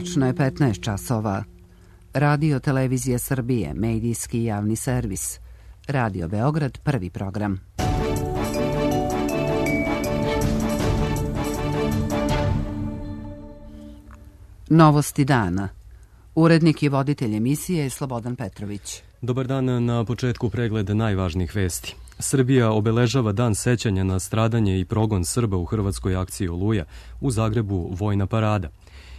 Tačno je 15 časova. Radio Televizija Srbije, medijski javni servis. Radio Beograd, prvi program. Novosti dana. Urednik i voditelj emisije je Slobodan Petrović. Dobar dan, na početku pregled najvažnijih vesti. Srbija obeležava dan sećanja na stradanje i progon Srba u hrvatskoj akciji Oluja, u Zagrebu vojna parada.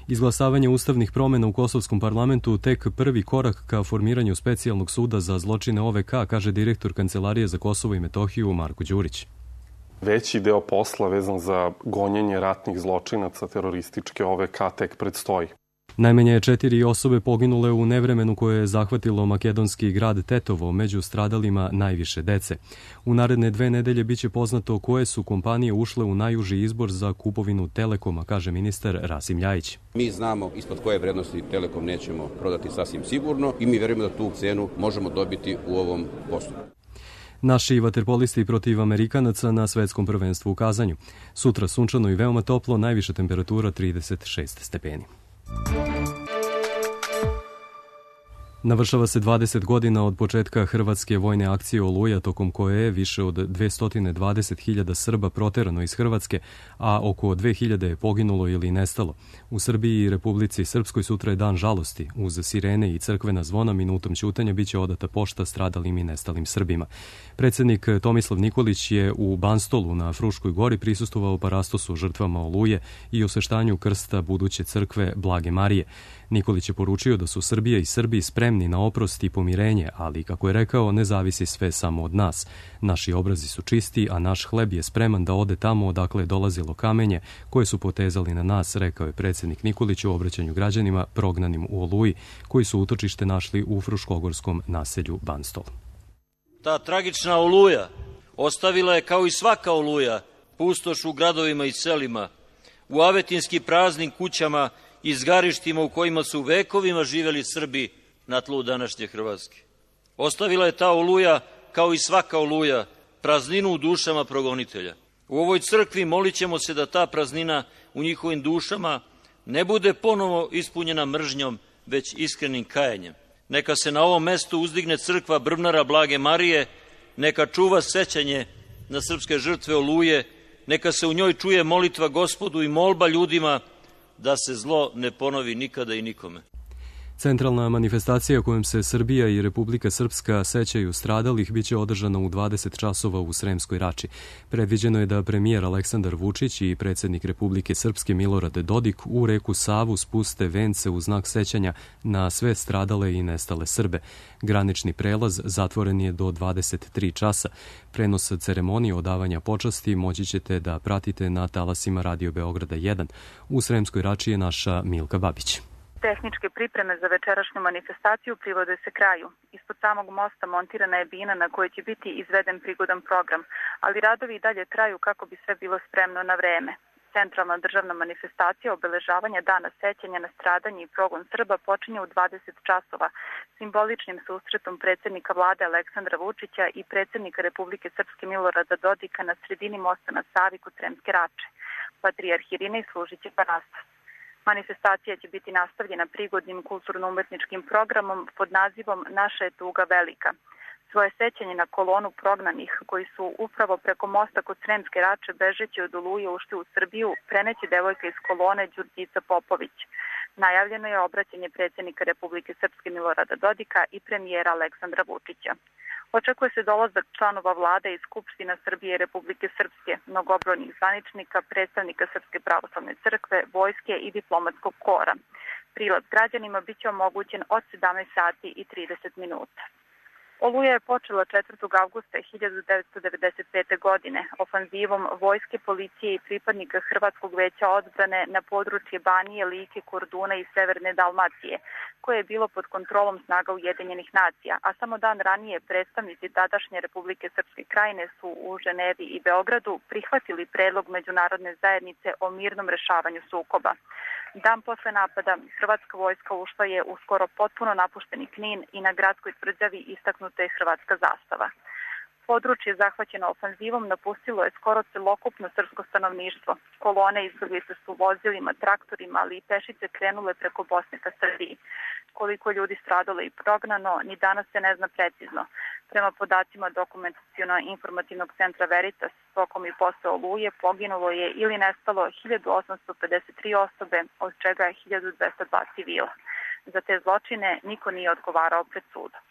Izglasavanje ustavnih promjena u Kosovskom parlamentu tek prvi korak ka formiranju specijalnog suda za zločine OVK, kaže direktor Kancelarije za Kosovo i Metohiju Marko Đurić. Veći deo posla vezan za gonjenje ratnih zločinaca terorističke OVK tek predstoji. Najmanje 4 osobe poginule u nevremenu koje je zahvatilo makedonski grad Tetovo, među stradalima najviše dece. U naredne 2 nedelje biće poznato koje su kompanije ušle u najuži izbor za kupovinu Telekoma, kaže ministar Rasim Ljajić. Mi znamo ispod koje vrednosti Telekom nećemo prodati sasvim sigurno i mi verujemo da tu cenu možemo dobiti u ovom postupku. Naši vaterpolisti protiv Amerikanaca na svetskom prvenstvu u Kazanju. Sutra sunčano i veoma toplo, najviša temperatura 36 stepeni. Navršava se 20 godina od početka hrvatske vojne akcije Oluja, tokom koje je više od 220.000 Srba proterano iz Hrvatske, a oko 2.000 je poginulo ili nestalo. U Srbiji i Republici Srpskoj sutra je dan žalosti. Uz sirene i crkvena zvona minutom ćutanja biće odata pošta stradalim i nestalim Srbima. Predsjednik Tomislav Nikolić je u Banstolu na Fruškoj gori prisustvovao parastosu žrtvama Oluje i osveštanju krsta buduće crkve Blage Marije. Nikolić je poručio da su Srbija i Srbi spremni na oprost i pomirenje, ali, kako je rekao, ne zavisi sve samo od nas. Naši obrazi su čisti, a naš hleb je spreman da ode tamo odakle je dolazilo kamenje koje su potezali na nas, rekao je predsjednik Nikolić u obraćanju građanima prognanim u Oluji, koji su utočište našli u fruškogorskom naselju Banstol. Ta tragična Oluja ostavila je, kao i svaka Oluja, pustoš u gradovima i selima, u avetinski praznim kućama i zgarištima u kojima su vekovima živeli Srbi na tlu današnje Hrvatske. Ostavila je ta Oluja, kao i svaka Oluja, prazninu u dušama progonitelja. U ovoj crkvi molit ćemo se da ta praznina u njihovim dušama ne bude ponovo ispunjena mržnjom, već iskrenim kajanjem. Neka se na ovom mestu uzdigne crkva Brvnara Blage Marije, neka čuva sećanje na srpske žrtve Oluje, neka se u njoj čuje molitva Gospodu i molba ljudima da se zlo ne ponovi nikada i nikome. Centralna manifestacija kojom se Srbija i Republika Srpska sećaju stradalih biće održana u 20 časova u Sremskoj Rači. Predviđeno je da premijer Aleksandar Vučić i predsjednik Republike Srpske Milorad Dodik u reku Savu spuste vence u znak sećanja na sve stradale i nestale Srbe. Granični prelaz zatvoren je do 23 časa. Prenos ceremonije odavanja počasti moći ćete da pratite na talasima Radio Beograda 1. U Sremskoj Rači je naša Milka Babić. Tehničke pripreme za večerašnju manifestaciju privode se kraju. Ispod samog mosta montirana je bina na kojoj će biti izveden prigodan program, ali radovi i dalje traju kako bi sve bilo spremno na vreme. Centralna državna manifestacija obeležavanja dana sećanja na stradanje i progon Srba počinje u 20 časova, simboličnim susretom predsjednika vlade Aleksandra Vučića i predsjednika Republike Srpske Milorada Dodika na sredini mosta na Savi kod Sremske Rače. Patrijarh Irinej služit će parastos. Manifestacija će biti nastavljena prigodnim kulturno-umetničkim programom pod nazivom Naša je tuga velika. Svoje sećanje na kolonu prognanih koji su upravo preko mosta kod Sremske Rače bežeći od Oluje ušli u Srbiju preneće devojka iz kolone Đurđica Popović. Najavljeno je obraćanje predsjednika Republike Srpske Milorada Dodika i premijera Aleksandra Vučića. Očekuje se dolazak članova vlade iz Skupština Srbije i Republike Srpske, mnogobrojnih zvaničnika, predstavnika Srpske pravoslavne crkve, vojske i diplomatskog kora. Prilaz građanima biće omogućen od 17 sati i 30 minuta. Oluja je počela 4. avgusta 1995. godine ofanzivom vojske, policije i pripadnika Hrvatskog veća odbrane na područje Banije, Like, Korduna i Severne Dalmacije, koje je bilo pod kontrolom snaga Ujedinjenih nacija, a samo dan ranije predstavnici tadašnje Republike Srpske Krajine su u Ženevi i Beogradu prihvatili predlog međunarodne zajednice o mirnom rešavanju sukoba. Dan posle napada hrvatska vojska ušla je u skoro potpuno napušteni Knin i na gradskoj tvrđavi istaknuta je hrvatska zastava. Područje zahvaćeno ofanzivom napustilo je skoro celokupno srpsko stanovništvo. Kolone izbeglica su vozilima, traktorima, ali i pešice krenule preko Bosne ka Srbiji. Koliko ljudi stradalo i prognano, ni danas se ne zna precizno. Prema podacima Dokumentaciono-informativnog centra Veritas, tokom i posle Oluje poginulo je ili nestalo 1853 osobe, od čega je 1202 civila. Za te zločine niko nije odgovarao pred sudom.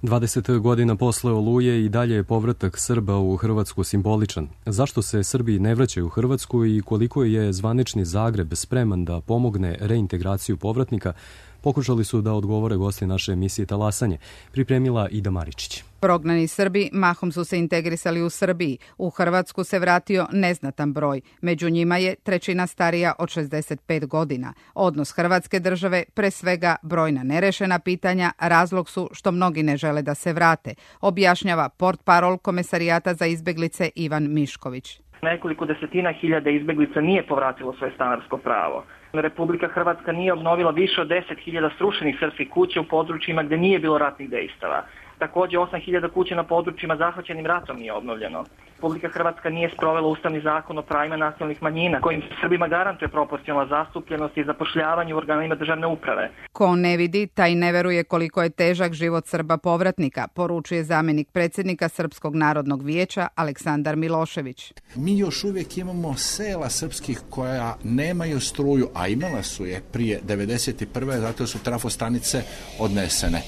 20 godina posle Oluje i dalje je povratak Srba u Hrvatsku simboličan. Zašto se Srbi ne vraćaju u Hrvatsku i koliko je zvanični Zagreb spreman da pomogne reintegraciju povratnika, pokušali su da odgovore gosti naše emisije Talasanje, pripremila Ida Maričić. Prognani Srbi mahom su se integrisali u Srbiji. U Hrvatsku se vratio neznatan broj. Među njima je trećina starija od 65 godina. Odnos Hrvatske države, pre svega brojna nerešena pitanja, razlog su što mnogi ne žele da se vrate, objašnjava portparol Komesarijata za izbeglice Ivan Mišković. Nekoliko desetina hiljada izbeglica nije povratilo svoje stanarsko pravo. Republika Hrvatska nije obnovila više od 10.000 srušenih srpskih kuća u područjima gde nije bilo ratnih dejstava. Takođe 8.000 kuća na područjima zahvaćenim ratom nije obnovljeno. Republika Hrvatska nije sprovela Ustavni zakon o pravima nacionalnih manjina, kojim Srbima garantuje proporcionalna zastupljenost i zapošljavanje u organima državne uprave. Ko ne vidi, taj ne veruje koliko je težak život Srba povratnika, poručuje zamenik predsjednika Srpskog narodnog vijeća Aleksandar Milošević. Mi još uvijek imamo sela srpskih koja nemaju struju, a imala su je prije 1991. zato su trafostanice odnesene.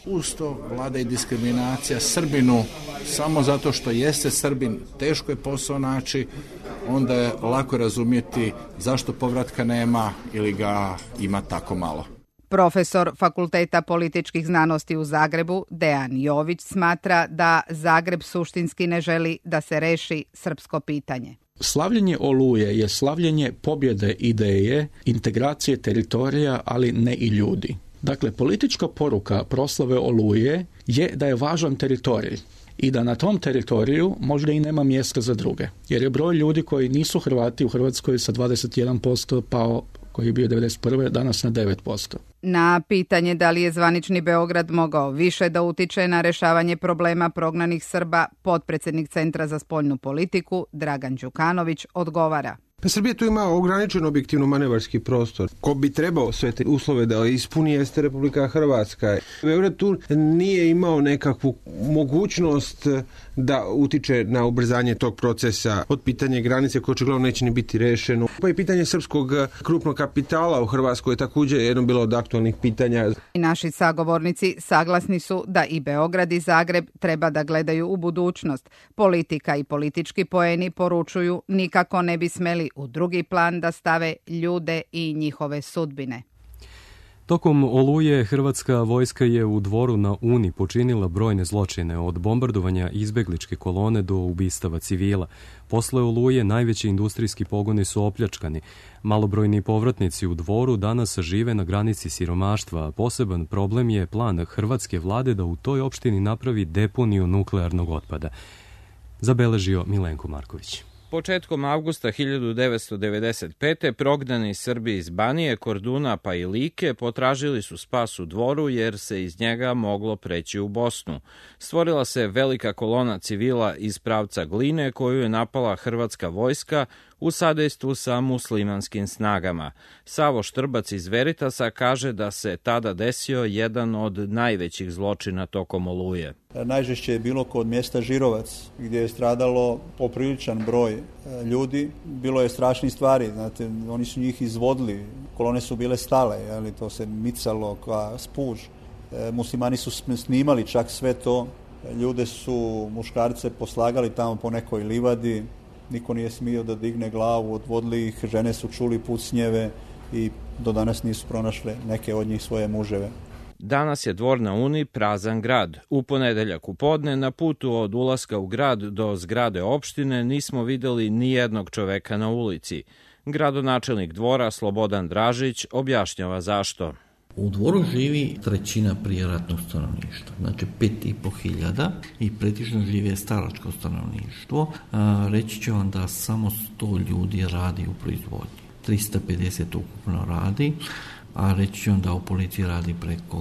Uz to vlada i diskriminacija Srbinu samo zato što jeste Srbin, teško je posao naći, onda je lako razumjeti zašto povratka nema ili ga ima tako malo. Profesor Fakulteta političkih znanosti u Zagrebu, Dejan Jović, smatra da Zagreb suštinski ne želi da se reši srpsko pitanje. Slavljenje Oluje je slavljenje pobjede ideje, integracije teritorija, ali ne i ljudi. Dakle, politička poruka proslave Oluje je da je važan teritorij i da na tom teritoriju možda i nema mjesta za druge. Jer je broj ljudi koji nisu Hrvati u Hrvatskoj sa 21% pao, koji je bio 91. danas na 9%. Na pitanje da li je zvanični Beograd mogao više da utiče na rešavanje problema prognanih Srba, potpredsjednik Centra za spoljnu politiku Dragan Đukanović odgovara. Pa Srbija tu ima ograničen objektivno manevarski prostor. Ko bi trebao sve te uslove da ispuni jeste Republika Hrvatska. Beograd tu nije imao nekakvu mogućnost da utiče na ubrzanje tog procesa. Od pitanja granice koje očigledno neće ni biti rešeno. Pa i pitanje srpskog krupnog kapitala u Hrvatskoj je također jedno bilo od aktualnih pitanja. Naši sagovornici saglasni su da i Beograd i Zagreb treba da gledaju u budućnost. Politika i politički poeni poručuju nikako ne bi smeli u drugi plan da stave ljude i njihove sudbine. Tokom Oluje hrvatska vojska je u Dvoru na Uni počinila brojne zločine, od bombardovanja izbegličke kolone do ubistava civila. Posle Oluje najveći industrijski pogoni su opljačkani. Malobrojni povratnici u Dvoru danas žive na granici siromaštva, a poseban problem je plan hrvatske vlade da u toj opštini napravi deponiju nuklearnog otpada. Zabeležio Milenko Marković. Početkom avgusta 1995. prognani Srbi iz Banije, Korduna pa i Like potražili su spas u Dvoru jer se iz njega moglo preći u Bosnu. Stvorila se velika kolona civila iz pravca Gline koju je napala hrvatska vojska u sadejstvu sa muslimanskim snagama. Savo Štrbac iz Veritasa kaže da se tada desio jedan od najvećih zločina tokom Oluje. Najžešće je bilo kod mjesta Žirovac, gdje je stradalo popriličan broj ljudi. Bilo je strašnih stvari, znate, oni su njih izvodili, kolone su bile stale, ali to se micalo kao spuž. Muslimani su snimali čak sve to, ljude su, muškarce poslagali tamo po nekoj livadi, niko nije smio da digne glavu, odvodili ih, žene su čuli pucnjeve i do danas nisu pronašle neke od njih svoje muževe. Danas je Dvor na Uni prazan grad. U ponedeljak u podne na putu od ulaska u grad do zgrade opštine nismo videli ni jednog čoveka na ulici. Gradonačelnik Dvora Slobodan Dražić objašnjava zašto. U Dvoru živi trećina prijeratnog stanovništva, znači 5.500 i pretično živi staračko stanovništvo. Reći ću vam da samo 100 ljudi radi u proizvodnji, 350 ukupno radi, a reći ću vam da u policiji radi preko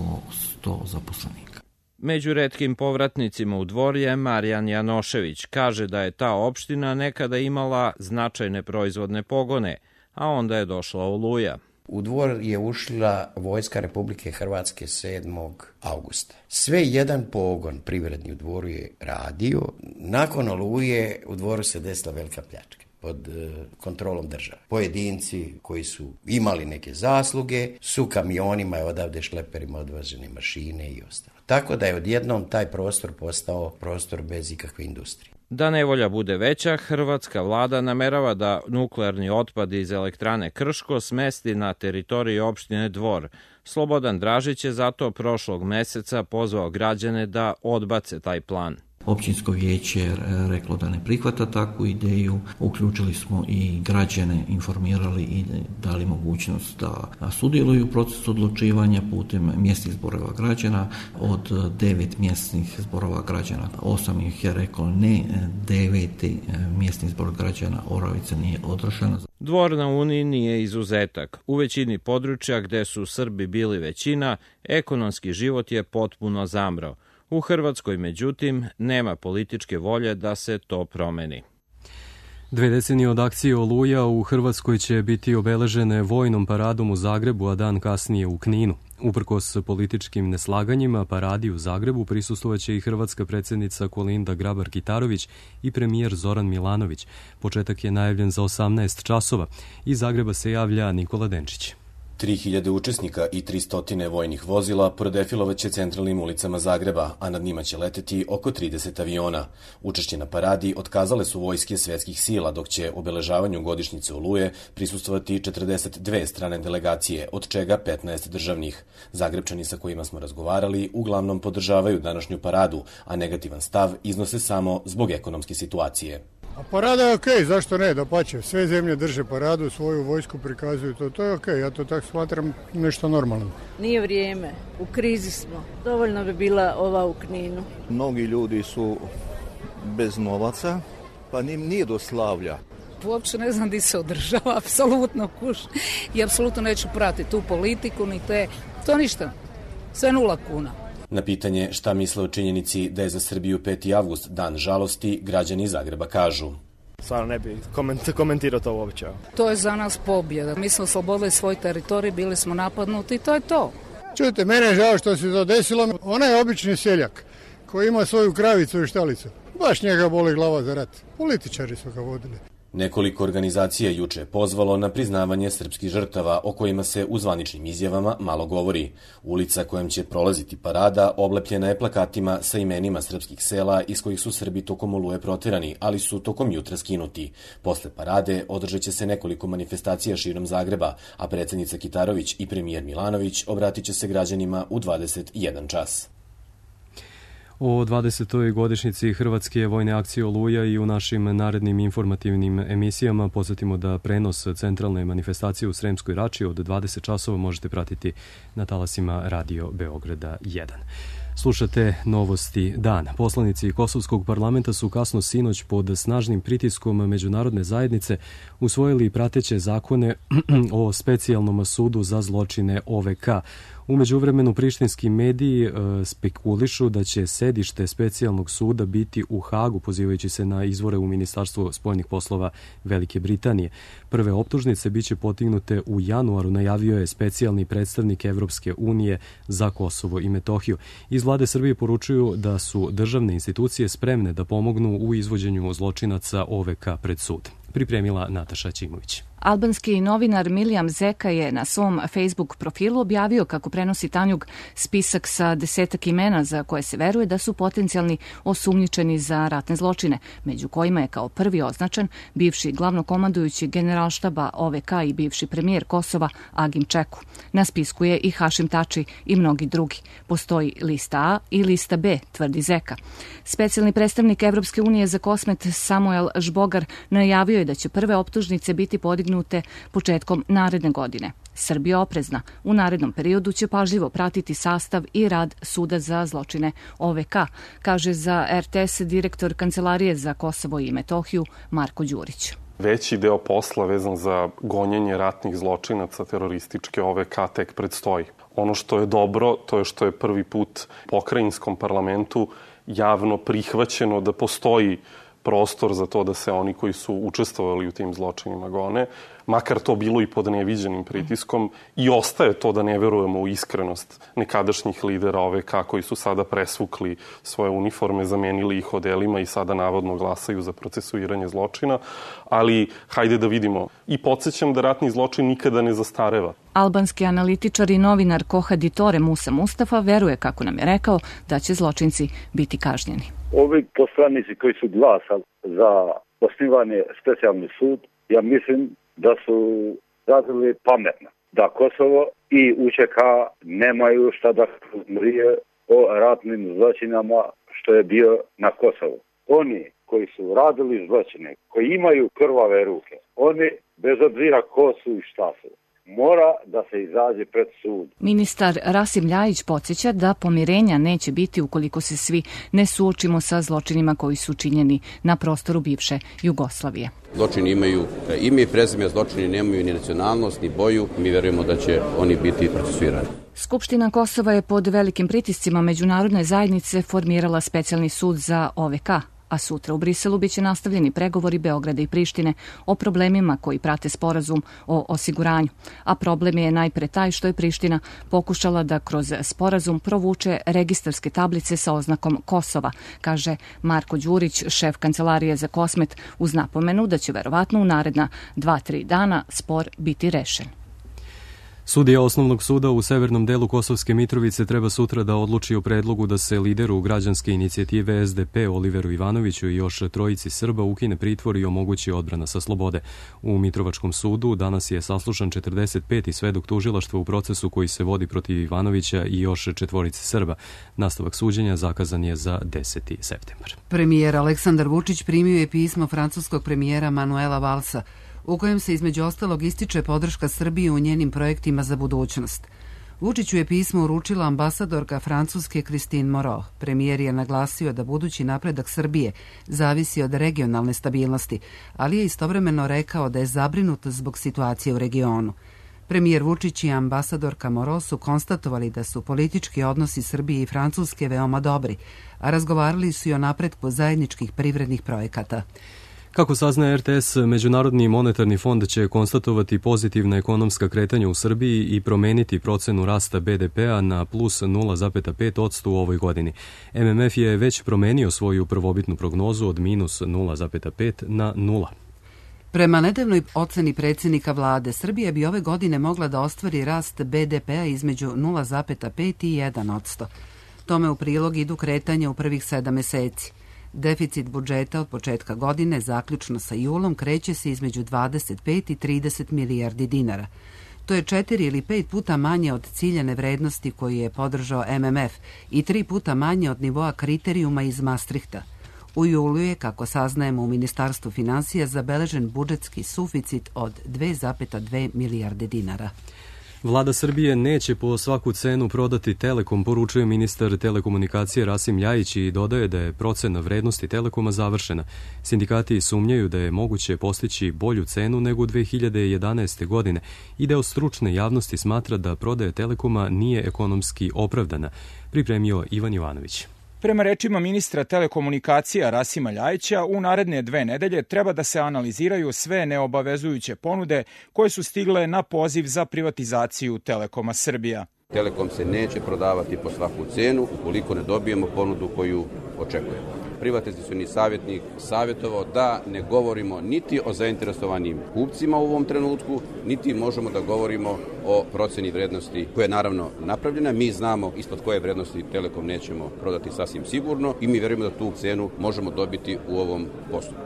100 zaposlenika. Među retkim povratnicima u Dvor je Marijan Janošević. Kaže da je ta opština nekada imala značajne proizvodne pogone, a onda je došla Oluja. U Dvor je ušla vojska Republike Hrvatske 7. augusta. Sve jedan pogon privredni u Dvoru je radio. Nakon Oluje u Dvoru se desila velika pljačka pod kontrolom države. Pojedinci koji su imali neke zasluge su kamionima i odavde šleperima odvažene mašine i ostalo. Tako da je odjednom taj prostor postao prostor bez ikakve industrije. Da nevolja bude veća, hrvatska vlada namerava da nuklearni otpad iz elektrane Krško smesti na teritoriji opštine Dvor. Slobodan Dražić je zato prošlog meseca pozvao građane da odbace taj plan. Općinsko vijeće je reklo da ne prihvata takvu ideju. Uključili smo i građane, informirali i dali mogućnost da sudjeluju u procesu odlučivanja putem mjesnih zborova građana. Od 9 mjesnih zborova građana, 8 ih je reklo ne, 9. mjesni zbor građana Oravica nije održana. Dvor na Uni nije izuzetak. U većini područja gde su Srbi bili većina, ekonomski život je potpuno zamrao. U Hrvatskoj, međutim, nema političke volje da se to promeni. 2 decenije od akcije Oluja u Hrvatskoj će biti obeležene vojnom paradom u Zagrebu, a dan kasnije u Kninu. Uprkos političkim neslaganjima, paradi u Zagrebu prisustvovaće i hrvatska predsjednica Kolinda Grabar-Kitarović i premijer Zoran Milanović. Početak je najavljen za 18 časova. Iz Zagreba se javlja Nikola Denčić. 3000 učesnika i 300 vojnih vozila prodefilovaće centralnim ulicama Zagreba, a nad njima će leteti oko 30 aviona. Učešće na paradi otkazale su vojske svetskih sila, dok će obeležavanju godišnjice Oluje prisustvovati 42 strane delegacije, od čega 15 državnih. Zagrebčani sa kojima smo razgovarali uglavnom podržavaju današnju paradu, a negativan stav iznose samo zbog ekonomske situacije. A parada je okej, zašto ne, dapače. Sve zemlje drže paradu, svoju vojsku prikazuju, to je okej, ja to tako smatram nešto normalno. Nije vrijeme, u krizi smo, dovoljno bi bila ova u Kninu. Mnogi ljudi su bez novaca, pa nije do slavlja. Uopće ne znam di se održava, apsolutno kuš i apsolutno neću pratiti tu politiku, ni to ništa, sve 0 kuna. Na pitanje šta misle o činjenici da je za Srbiju 5. avgust dan žalosti, građani iz Zagreba kažu. Stvarno ne bi komentirao to uopće. To je za nas pobjeda. Mi smo oslobodili svoj teritorij, bili smo napadnuti i to je to. Čujte, mene je žao što se to desilo. Ona je obični seljak koji ima svoju kravicu i štalicu. Baš njega boli glava za rat. Političari su ga vodili. Nekoliko organizacija juče je pozvalo na priznavanje srpskih žrtava, o kojima se u zvaničnim izjavama malo govori. Ulica kojom će prolaziti parada oblepljena je plakatima sa imenima srpskih sela iz kojih su Srbi tokom Oluje proterani, ali su tokom jutra skinuti. Posle parade održat će se nekoliko manifestacija širom Zagreba, a predsjednica Kitarović i premijer Milanović obratit će se građanima u 21 čas. O 20. godišnjici Hrvatske vojne akcije Oluja i u našim narednim informativnim emisijama podsjetimo da prenos centralne manifestacije u Sremskoj Rači od 20 časova možete pratiti na talasima Radio Beograda 1. Slušate novosti dana. Poslanici Kosovskog parlamenta su kasno sinoć pod snažnim pritiskom međunarodne zajednice usvojili prateće zakone o specijalnom sudu za zločine OVK. U međuvremenu prištinski mediji spekulišu da će sedište specijalnog suda biti u Hagu, pozivajući se na izvore u Ministarstvu spoljnih poslova Velike Britanije. Prve optužnice biće potignute u januaru, najavio je specijalni predstavnik Evropske unije za Kosovo i Metohiju. Iz vlade Srbije poručuju da su državne institucije spremne da pomognu u izvođenju zločinaca OVK pred sud. Pripremila Nataša Ćimović. Albanski novinar Milijam Zeka je na svom Facebook profilu objavio kako prenosi Tanjug spisak sa 10 imena za koje se veruje da su potencijalni osumnjičeni za ratne zločine, među kojima je kao prvi označen bivši glavnokomandujući generalštaba OVK i bivši premijer Kosova Agim Čeku. Na spisku je i Hašim Tači i mnogi drugi. Postoji lista A i lista B, tvrdi Zeka. Specijalni predstavnik Evropske unije za Kosmet Samuel Žbogar najavio je da će prve optužnice biti podignute početkom naredne godine. Srbija oprezna. U narednom periodu će pažljivo pratiti sastav i rad Suda za zločine OVK, kaže za RTS direktor Kancelarije za Kosovo i Metohiju Marko Đurić. Veći deo posla vezan za gonjenje ratnih zločinaca terorističke OVK tek predstoji. Ono što je dobro, to je što je prvi put pokrajinskom parlamentu javno prihvaćeno da postoji prostor za to da se oni koji su učestvovali u tim zločinima gone, makar to bilo i pod neviđenim pritiskom, i ostaje to da ne verujemo u iskrenost nekadašnjih lidera OVK koji su sada presvukli svoje uniforme, zamenili ih odelima i sada navodno glasaju za procesuiranje zločina, ali hajde da vidimo. I podsjećam da ratni zločin nikada ne zastareva. Albanski analitičar i novinar Kohaditore Musa Mustafa veruje, kako nam je rekao, da će zločinci biti kažnjeni. Ovi poslanici koji su glasali za osnivanje specijalni sud, ja mislim da su radili pametno. Da Kosovo i UČK nemaju šta da mrije o ratnim zločinama što je bio na Kosovu. Oni koji su radili zločine, koji imaju krvave ruke, oni bez obzira ko su i šta su, mora da se izađe pred sud. Ministar Rasim Ljajić podsjeća da pomirenja neće biti ukoliko se svi ne suočimo sa zločinima koji su činjeni na prostoru bivše Jugoslavije. Zločini imaju ime i prezime, zločini nemaju ni nacionalnost, ni boju. Mi verujemo da će oni biti procesuirani. Skupština Kosova je pod velikim pritiscima međunarodne zajednice formirala specijalni sud za OVK, a sutra u Briselu biće nastavljeni pregovori Beograda i Prištine o problemima koji prate sporazum o osiguranju. A problem je najpre taj što je Priština pokušala da kroz sporazum provuče registarske tablice sa oznakom Kosova, kaže Marko Đurić, šef Kancelarije za Kosmet, uz napomenu da će verovatno u naredna 2-3 dana spor biti rešen. Sudija Osnovnog suda u severnom delu Kosovske Mitrovice treba sutra da odluči o predlogu da se lideru građanske inicijative SDP Oliveru Ivanoviću i još trojici Srba ukine pritvor i omogući odbrana sa slobode. U Mitrovačkom sudu danas je saslušan 45. svedok tužilaštva u procesu koji se vodi protiv Ivanovića i još četvorice Srba. Nastavak suđenja zakazan je za 10. septembar. Premijer Aleksandar Vučić primio je pismo francuskog premijera Manuela Valsa, u kojem se između ostalog ističe podrška Srbije u njenim projektima za budućnost. Vučiću je pismo uručila ambasadorka Francuske Christine Moreau. Premijer je naglasio da budući napredak Srbije zavisi od regionalne stabilnosti, ali je istovremeno rekao da je zabrinut zbog situacije u regionu. Premijer Vučić i ambasadorka Moreau su konstatovali da su politički odnosi Srbije i Francuske veoma dobri, a razgovarali su i o napretku zajedničkih privrednih projekata. Kako saznaje RTS, Međunarodni monetarni fond će konstatovati pozitivna ekonomska kretanja u Srbiji i promeniti procenu rasta BDP-a na plus 0,5% u ovoj godini. MMF je već promenio svoju prvobitnu prognozu od minus 0,5 na 0. Prema nedavnoj oceni predsjednika vlade, Srbija bi ove godine mogla da ostvari rast BDP-a između 0,5 i 1%. Tome u prilog idu kretanja u prvih 7 meseci. Deficit budžeta od početka godine, zaključno sa julom, kreće se između 25 i 30 milijardi dinara. To je 4 ili 5 puta manje od ciljane vrednosti koju je podržao MMF i 3 puta manje od nivoa kriterijuma iz Maastrichta. U julu je, kako saznajemo u Ministarstvu finansija, zabeležen budžetski suficit od 2,2 milijarde dinara. Vlada Srbije neće po svaku cenu prodati Telekom, poručuje ministar telekomunikacije Rasim Ljajić i dodaje da je procena vrednosti Telekoma završena. Sindikati sumnjaju da je moguće postići bolju cenu nego 2011. godine i deo stručne javnosti smatra da prodaja Telekoma nije ekonomski opravdana, pripremio Ivan Jovanović. Prema rečima ministra telekomunikacija Rasima Ljajića, u naredne 2 nedelje treba da se analiziraju sve neobavezujuće ponude koje su stigle na poziv za privatizaciju Telekoma Srbija. Telekom se neće prodavati po svaku cenu ukoliko ne dobijemo ponudu koju očekujemo. Privatizacioni savjetnik savjetovao da ne govorimo niti o zainteresovanim kupcima u ovom trenutku, niti možemo da govorimo o proceni vrednosti koja je naravno napravljena. Mi znamo ispod koje vrednosti Telekom nećemo prodati sasvim sigurno i mi verujemo da tu cenu možemo dobiti u ovom postupku.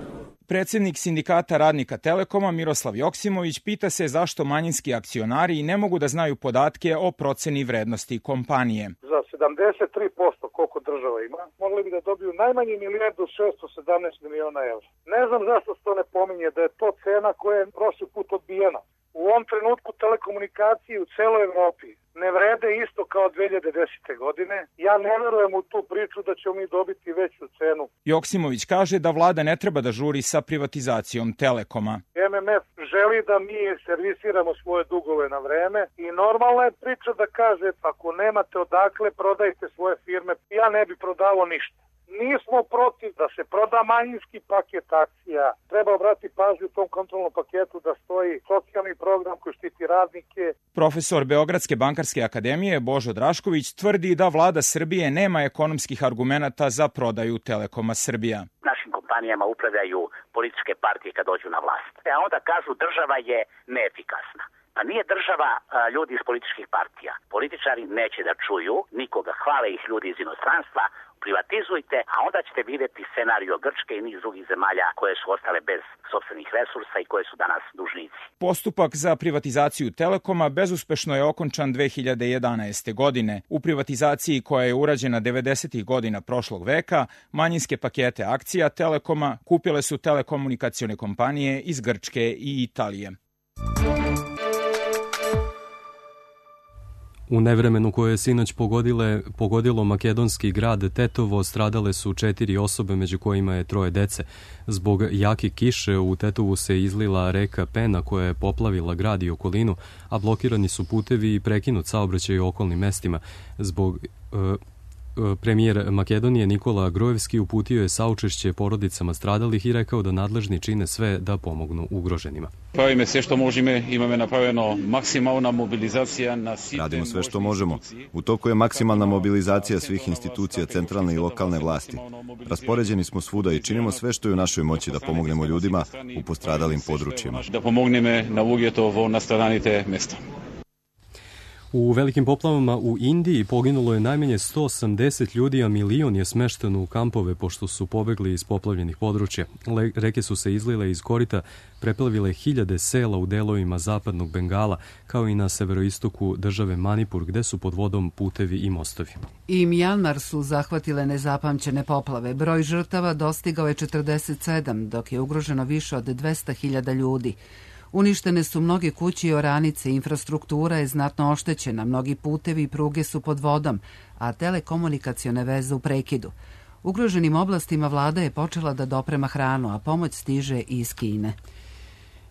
Predsjednik sindikata radnika Telekoma Miroslav Joksimović pita se zašto manjinski akcionari ne mogu da znaju podatke o proceni vrednosti kompanije. Za 73% koliko država ima, mogli bi da dobiju najmanje 1.617 miliona evra. Ne znam zašto se to ne pominje, da je to cena koja je prošli put odbijena. U ovom trenutku telekomunikacije u celoj Evropi ne vrede isto kao 2010. godine. Ja ne verujem u tu priču da ćemo mi dobiti veću cenu. Joksimović kaže da vlada ne treba da žuri sa privatizacijom Telekoma. MMF želi da mi servisiramo svoje dugove na vreme i normalna je priča da kaže ako nemate odakle prodajte svoje firme. Ja ne bi prodavao ništa. Nismo protiv da se proda manjinski paket akcija. Treba obratiti pažnju u tom kontrolnom paketu da stoji socijalni program koji štiti radnike. Profesor Beogradske bankarske akademije Božo Drašković tvrdi da vlada Srbije nema ekonomskih argumenata za prodaju Telekoma Srbija. Našim kompanijama upravljaju političke partije kad dođu na vlast. A onda kažu država je neefikasna. Pa nije država ljudi iz političkih partija. Političari neće da čuju nikoga, hvale ih ljudi iz inostranstva, privatizujte, a onda ćete vidjeti scenario Grčke i niz drugih zemalja koje su ostale bez sopstvenih resursa i koje su danas dužnici. Postupak za privatizaciju Telekoma bezuspešno je okončan 2011. godine. U privatizaciji koja je urađena 90. godina prošlog veka, manjinske pakete akcija Telekoma kupile su telekomunikacione kompanije iz Grčke i Italije. U nevremenu koje je sinoć pogodilo makedonski grad Tetovo stradale su 4 osobe, među kojima je 3 dece. Zbog jake kiše u Tetovu se izlila reka Pena koja je poplavila grad i okolinu, a blokirani su putevi i prekinut saobraćaj u okolnim mestima. Premijer Makedonije Nikola Grojevski uputio je saučešće porodicama stradalih i rekao da nadležni čine sve da pomognu ugroženima. Pravimo sve što možemo, imamo napravljeno maksimalna mobilizacija na sistem. Radimo sve što možemo. U toku je maksimalna mobilizacija svih institucija centralne i lokalne vlasti. Raspoređeni smo svuda i činimo sve što je u našoj moći da pomognemo ljudima u postradalim područjima. Da pomogneme na uvjetovo nastradanite mjesta. U velikim poplavama u Indiji poginulo je najmanje 180 ljudi, a milion je smešteno u kampove pošto su pobegli iz poplavljenih područja. Reke su se izlile iz korita, preplavile hiljade sela u delovima zapadnog Bengala, kao i na severoistoku države Manipur, gde su pod vodom putevi i mostovi. I Mjanmar su zahvatile nezapamćene poplave. Broj žrtava dostigao je 47, dok je ugroženo više od 200.000 ljudi. Uništene su mnoge kuće i oranice, infrastruktura je znatno oštećena, mnogi putevi i pruge su pod vodom, a telekomunikacione veze u prekidu. Ugroženim oblastima vlada je počela da doprema hranu, a pomoć stiže i iz Kine.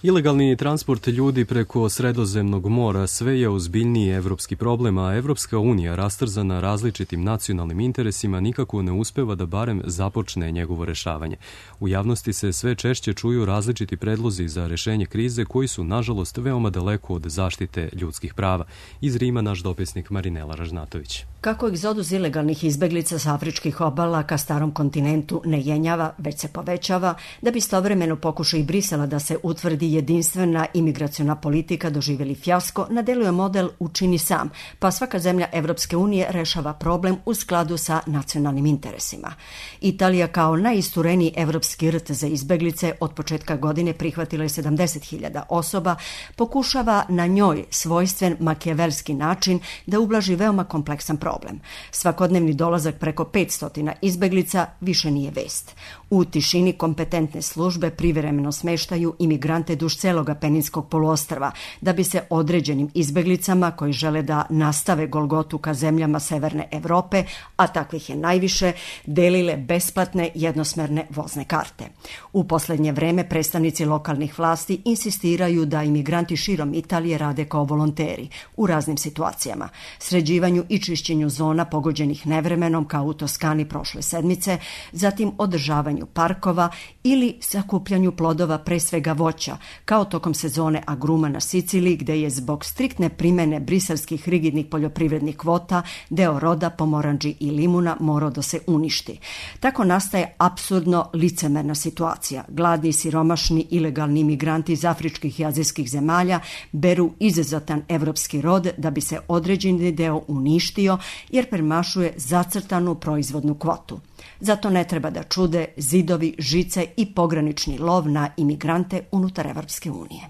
Ilegalni transport ljudi preko Sredozemnog mora sve je ozbiljniji evropski problem, a Evropska unija, rastrzana različitim nacionalnim interesima, nikako ne uspeva da barem započne njegovo rešavanje. U javnosti se sve češće čuju različiti predlozi za rešenje krize koji su, nažalost, veoma daleko od zaštite ljudskih prava. Iz Rima naš dopisnik Marinela Ražnatović. Kako egzodus ilegalnih izbeglica sa afričkih obala ka starom kontinentu ne jenjava, već se povećava, da bi istovremeno pokušao i Brisela da se utvrdi jedinstvena imigraciona politika doživjeli fijasko, na delu je model učini sam, pa svaka zemlja Evropske unije rešava problem u skladu sa nacionalnim interesima. Italija kao najistureniji evropski rt za izbeglice od početka godine prihvatila je 70.000 osoba, pokušava na njoj svojstven makijavelski način da ublaži veoma kompleksan problem. Svakodnevni dolazak preko 500 izbeglica više nije vest. U tišini kompetentne službe privremeno smeštaju imigrante duž celoga Peninskog poluostrva, da bi se određenim izbeglicama koji žele da nastave golgotu ka zemljama Severne Evrope, a takvih je najviše, delile besplatne jednosmerne vozne karte. U poslednje vreme predstavnici lokalnih vlasti insistiraju da imigranti širom Italije rade kao volonteri u raznim situacijama, sređivanju i čišćenju zona pogođenih nevremenom kao u Toskani prošle sedmice, zatim održavanju parkova ili sakupljanju plodova, pre svega voća, kao tokom sezone agruma na Siciliji, gde je zbog striktne primene briselskih rigidnih poljoprivrednih kvota deo roda pomoranđi i limuna morao da se uništi. Tako nastaje apsurdno licemerna situacija. Gladni i siromašni ilegalni imigranti iz afričkih i azijskih zemalja beru izuzetan evropski rod da bi se određeni deo uništio jer premašuje zacrtanu proizvodnu kvotu. Zato ne treba da čude zidovi, žice i pogranični lov na imigrante unutar Evropske unije.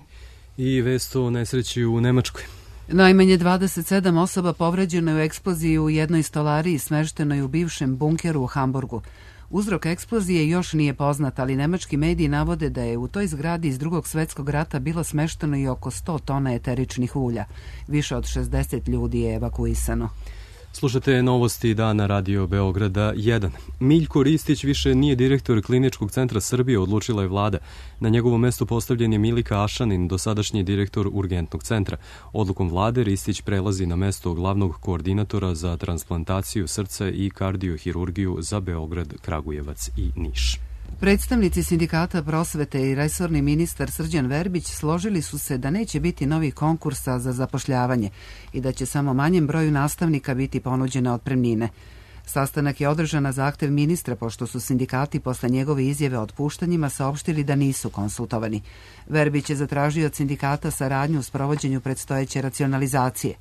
I vest o nesreći u Nemačkoj. Najmanje 27 osoba povređeno je u eksploziji u jednoj stolariji smeštenoj u bivšem bunkeru u Hamburgu. Uzrok eksplozije još nije poznat, ali nemački mediji navode da je u toj zgradi iz Drugog svjetskog rata bilo smešteno i oko 100 tona eteričnih ulja. Više od 60 ljudi je evakuisano. Slušate novosti dana Radio Beograda 1. Miljko Ristić više nije direktor Kliničkog centra Srbije, odlučila je vlada. Na njegovo mesto postavljen je Milika Ašanin, dosadašnji direktor Urgentnog centra. Odlukom vlade Ristić prelazi na mesto glavnog koordinatora za transplantaciju srca i kardiohirurgiju za Beograd, Kragujevac i Niš. Predstavnici sindikata prosvete i resorni ministar Srđan Verbić složili su se da neće biti novih konkursa za zapošljavanje i da će samo manjem broju nastavnika biti ponuđene otpremnine. Sastanak je održan na zahtev ministra, pošto su sindikati posle njegove izjave o otpuštanjima saopštili da nisu konsultovani. Verbić je zatražio od sindikata saradnju u sprovođenju predstojeće racionalizacije.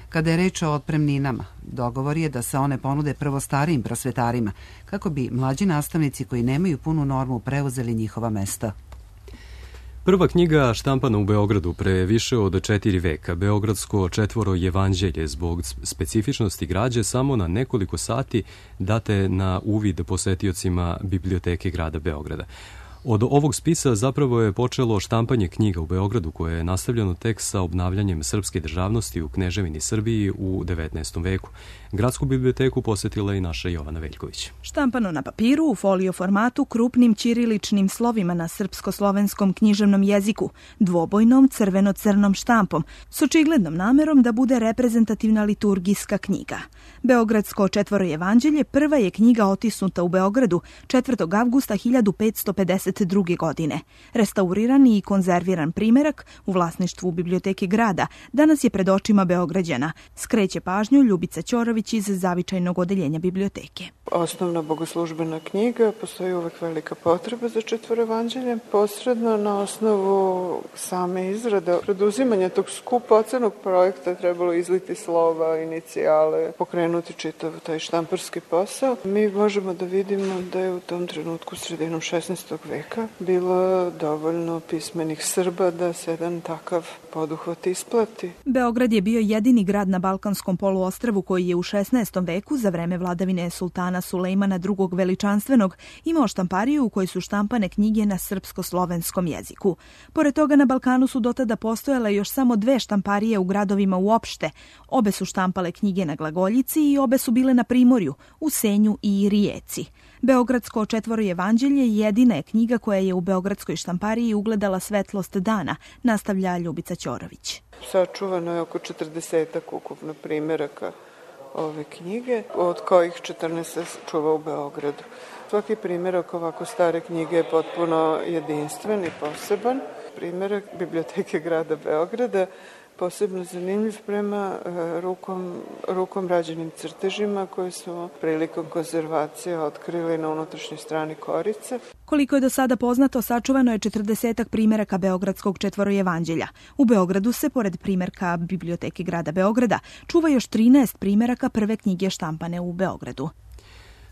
Kada je reč o otpremninama, dogovor je da se one ponude prvo starijim prosvetarima, kako bi mlađi nastavnici koji nemaju punu normu preuzeli njihova mesta. Prva knjiga štampana u Beogradu pre više od 4 veka, Beogradsko četvoro evanđelje, zbog specifičnosti građe samo na nekoliko sati date na uvid posetiocima biblioteke grada Beograda. Od ovog spisa zapravo je počelo štampanje knjiga u Beogradu, koje je nastavljeno tek sa obnavljanjem srpske državnosti u Kneževini Srbiji u 19. veku. Gradsku biblioteku posetila i naša Jovana Veljković. Štampano na papiru, u folio formatu, krupnim ćiriličnim slovima na srpsko-slovenskom književnom jeziku, dvobojnom crveno-crnom štampom, s očiglednom namerom da bude reprezentativna liturgijska knjiga. Beogradsko četvoro evanđelje prva je knjiga otisnuta u Beogradu 4. avgusta 1552. godine. Restaurirani i konzerviran primerak u vlasništvu biblioteke grada danas je pred očima Beograđana, skreće pažnju Ljubica Ćorović iz zavičajnog odeljenja biblioteke. Osnovna bogoslužbena knjiga, postoji uvek velika potreba za četvoro evanđelje. Posredno na osnovu same izrade, preduzimanja tog skupocenog projekta trebalo izliti slova, inicijale, pokrenuti čitav taj štamparski posao. Mi možemo da vidimo da je u tom trenutku sredinom 16. veka bilo dovoljno pismenih Srba da se jedan takav poduhvat isplati. Beograd je bio jedini grad na Balkanskom poluostrvu koji je u 16. veku za vreme vladavine sultana Sulejmana II. Veličanstvenog imao štampariju u kojoj su štampane knjige na srpsko-slovenskom jeziku. Pored toga na Balkanu su dotada postojale još samo 2 štamparije u gradovima uopšte. Obe su štampale knjige na glagoljici i obe su bile na primorju, u Senju i Rijeci. Beogradsko četvoro evanđelje jedina je knjiga koja je u beogradskoj štampariji ugledala svetlost dana, nastavlja Ljubica Ćorović. Sačuvano je oko 40 ukupno primeraka ove knjige, od kojih 14 se čuva u Beogradu. Svaki primjerak ovako stare knjige je potpuno jedinstven i poseban. Primjerak biblioteke grada Beograda posebno zanimljiv prema rukom rađenim crtežima koje su prilikom konzervacije otkrili na unutrašnjoj strani korice. Koliko je do sada poznato, sačuvano je 40 primjeraka Beogradskog četvoro evanđelja. U Beogradu se, pored primjerka biblioteke grada Beograda, čuva još 13 primjeraka prve knjige štampane u Beogradu.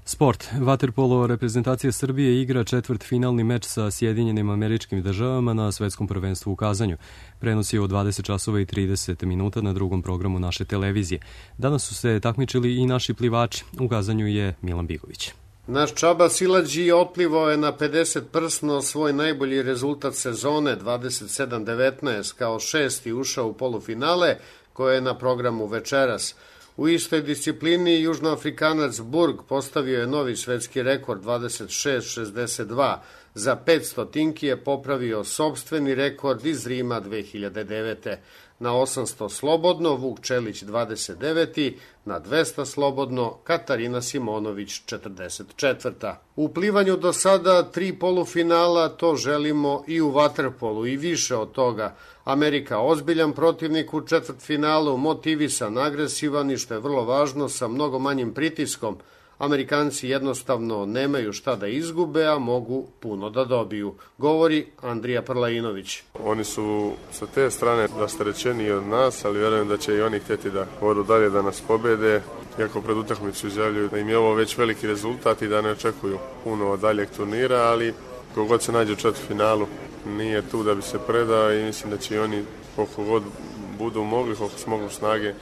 Sport. Vaterpolo reprezentacija Srbije igra četvrtfinalni meč sa Sjedinjenim Američkim Državama na svetskom prvenstvu u Kazanju. Prenos je od 20 časova i 30 minuta na drugom programu naše televizije. Danas su se takmičili i naši plivači. U Kazanju je Milan Bigović. Naš Čaba Silađi otplivao je na 50 prsno svoj najbolji rezultat sezone, 27-19, kao šesti ušao u polufinale koje je na programu večeras. U istoj disciplini Južnoafrikanac Burg postavio je novi svetski rekord 26-62. Za 500 tinki je popravio sopstveni rekord iz Rima 2009. Na 800 slobodno Vuk Čelić 29. Na 200 slobodno Katarina Simonović 44. U plivanju do sada 3 polufinala, to želimo i u vaterpolu i više od toga. Amerika ozbiljan protivnik u četvrtfinalu, motivisan, agresivan i što je vrlo važno sa mnogo manjim pritiskom. Amerikanci jednostavno nemaju šta da izgube, a mogu puno da dobiju, govori Andrija Prlajinović. Oni su sa te strane rasterećeniji od nas, ali vjerujem da će i oni htjeti da odu dalje da nas pobede. Iako pred utakmicu izjavljuju da im je ovo već veliki rezultat i da ne očekuju puno od daljeg turnira, ali kogod se nađe u četvrtfinalu nije tu da bi se predao i mislim da će i oni koliko god budu mogli, koliko smognu snage,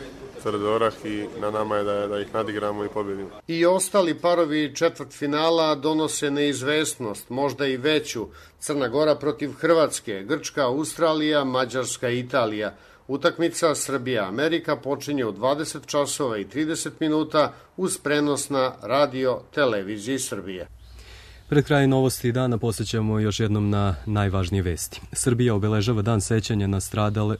tvrd orah i na nama je da ih nadigramo i pobjedimo. I ostali parovi četvrtfinala donose neizvesnost, možda i veću. Crna Gora protiv Hrvatske, Grčka, Australija, Mađarska i Italija. Utakmica Srbija-Amerika počinje u 20 časova i 30 minuta uz prenos na radio televiziji Srbije. Pred kraj novosti dana posjećamo još jednom na najvažnije vesti. Srbija obeležava dan sećanja na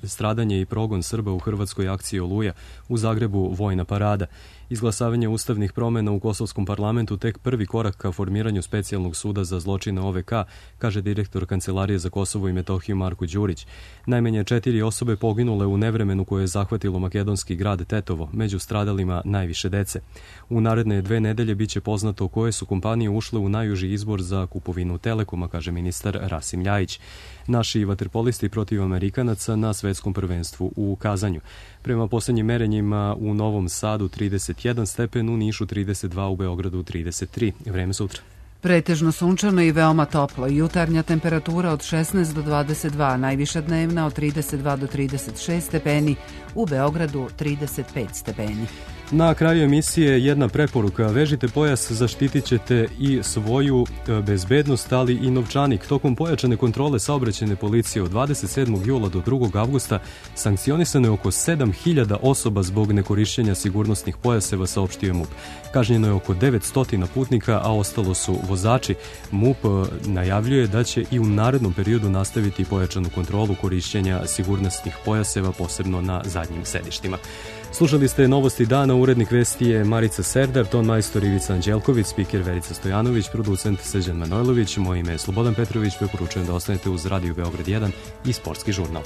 stradanje i progon Srba u hrvatskoj akciji Oluja, u Zagrebu vojna parada. Izglasavanje ustavnih promjena u kosovskom parlamentu tek prvi korak ka formiranju specijalnog suda za zločine OVK, kaže direktor Kancelarije za Kosovo i Metohiju Marko Đurić. Najmanje 4 osobe poginule u nevremenu koje je zahvatilo makedonski grad Tetovo, među stradalima najviše dece. U naredne 2 nedelje biće poznato koje su kompanije ušle u najuži izbor za kupovinu Telekoma, kaže ministar Rasim Ljajić. Naši vaterpolisti protiv Amerikanaca na svetskom prvenstvu u Kazanju. Prema posljednjim merenjima u Novom Sadu 31 stepen, u Nišu 32, u Beogradu 33. Vreme sutra. Pretežno sunčano i veoma toplo. Jutarnja temperatura od 16 do 22, najviša dnevna od 32 do 36 stepeni, u Beogradu 35 stepeni. Na kraju emisije jedna preporuka. Vežite pojas, zaštitit ćete i svoju bezbednost, ali i novčanik. Tokom pojačane kontrole saobraćajne policije od 27. jula do 2. avgusta sankcionisano je oko 7.000 osoba zbog nekorišćenja sigurnosnih pojaseva, saopštio je MUP. Kažnjeno je oko 900 putnika, a ostalo su vozači. MUP najavljuje da će i u narednom periodu nastaviti pojačanu kontrolu korišćenja sigurnosnih pojaseva, posebno na zadnjim sedištima. Slušali ste novosti dana, urednik vesti je Marica Serdar, ton majstor Ivica Anđelković, spiker Verica Stojanović, producent Srđan Manojlović, moje ime je Slobodan Petrović, preporučujem da ostanete uz Radio Beograd 1 i Sportski žurnal.